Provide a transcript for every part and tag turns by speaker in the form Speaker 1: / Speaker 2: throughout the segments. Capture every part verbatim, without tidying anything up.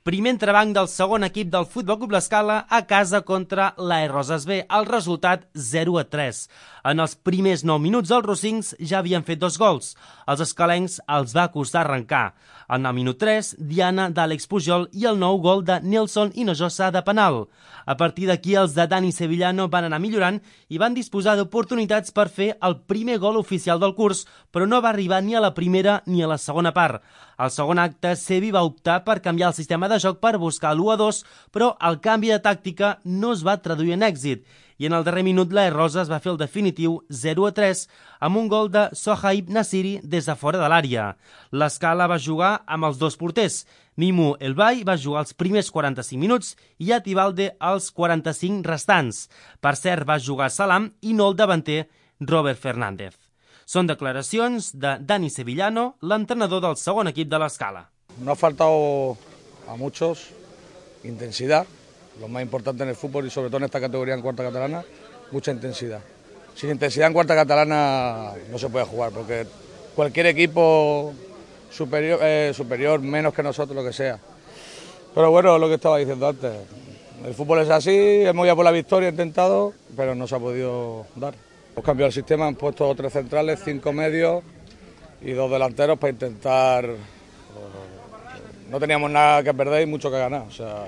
Speaker 1: Primer entrebanc del segon equip del Futbol Club L'Escala a casa contra l'A E Roses B. El resultat zero a tres. En els primers nou minuts els rossins ja havien fet dos gols. Els escalencs els va costar arrencar. En el minut tres, Diana d'Àlex Pujol i el nou gol de Nelson Hinojosa de penal. A partir d'aquí els de Dani Sevillano van anar millorant i van disposar d'oportunitats per fer el primer gol oficial del curs, però no va arribar ni a la primera ni a la segona part. Al segon acte, Sevi va optar per canviar el sistema de joc per buscar l'u a dos, però el canvi de tàctica no es va traduir en èxit. I en el darrer minut l'A E Roses va fer el definitiu zero a tres amb un gol de Sohaib Nasiri des de fora de l'àrea. L'Escala va jugar amb els dos porters. Mimu Elbay va jugar els primers quaranta-cinc minuts i Atibalde els quaranta-cinc restants. Per cert, va jugar Salam i no el davanter Robert Fernández. Són declaracions de Dani Sevillano, l'entrenador del segon equip de l'Escala.
Speaker 2: No ha faltado a muchos intensidad, lo más importante en el fútbol y sobre todo en esta categoría en cuarta catalana, mucha intensidad. Sin intensidad en cuarta catalana no se puede jugar porque cualquier equipo superior, eh, superior, menos que nosotros, lo que sea. Pero bueno, lo que estaba diciendo antes, el fútbol es así, hemos ido por la victoria, intentado, pero no se ha podido dar. Hemos cambiado el sistema, han puesto tres centrales, cinco medios y dos delanteros para intentar... No teníamos nada que perder y mucho que ganar. O sea,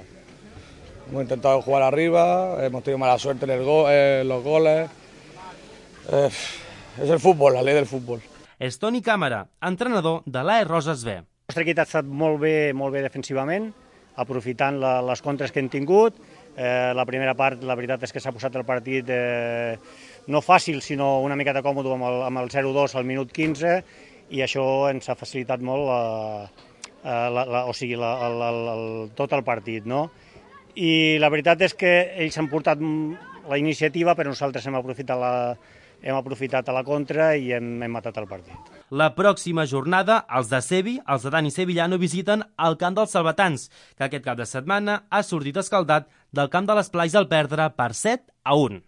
Speaker 2: hemos intentado jugar arriba, hemos tenido mala suerte en el go eh, los goles. Eh, és el futbol, la llei del futbol.
Speaker 1: És Toni Càmera, entrenador de l'A E Roses B.
Speaker 3: El nostre equip ha estat molt bé, molt bé defensivament, aprofitant la, les contres que hem tingut. Eh, la primera part, la veritat és que s'ha posat el partit eh, no fàcil, sinó una miqueta còmode amb el, amb el zero a dos al minut quinze, i això ens ha facilitat molt la, la, la, o sigui, la, el, el, el, tot el partit, no? I la veritat és que ells han portat la iniciativa, però nosaltres hem aprofitat la, hem aprofitat a la contra i hem, hem matat el partit.
Speaker 1: La pròxima jornada, els de Sevi, els de Dani Sevillano, visiten el camp dels Salvatans, que aquest cap de setmana ha sortit escaldat del camp de l'Esplai al perdre per set a un.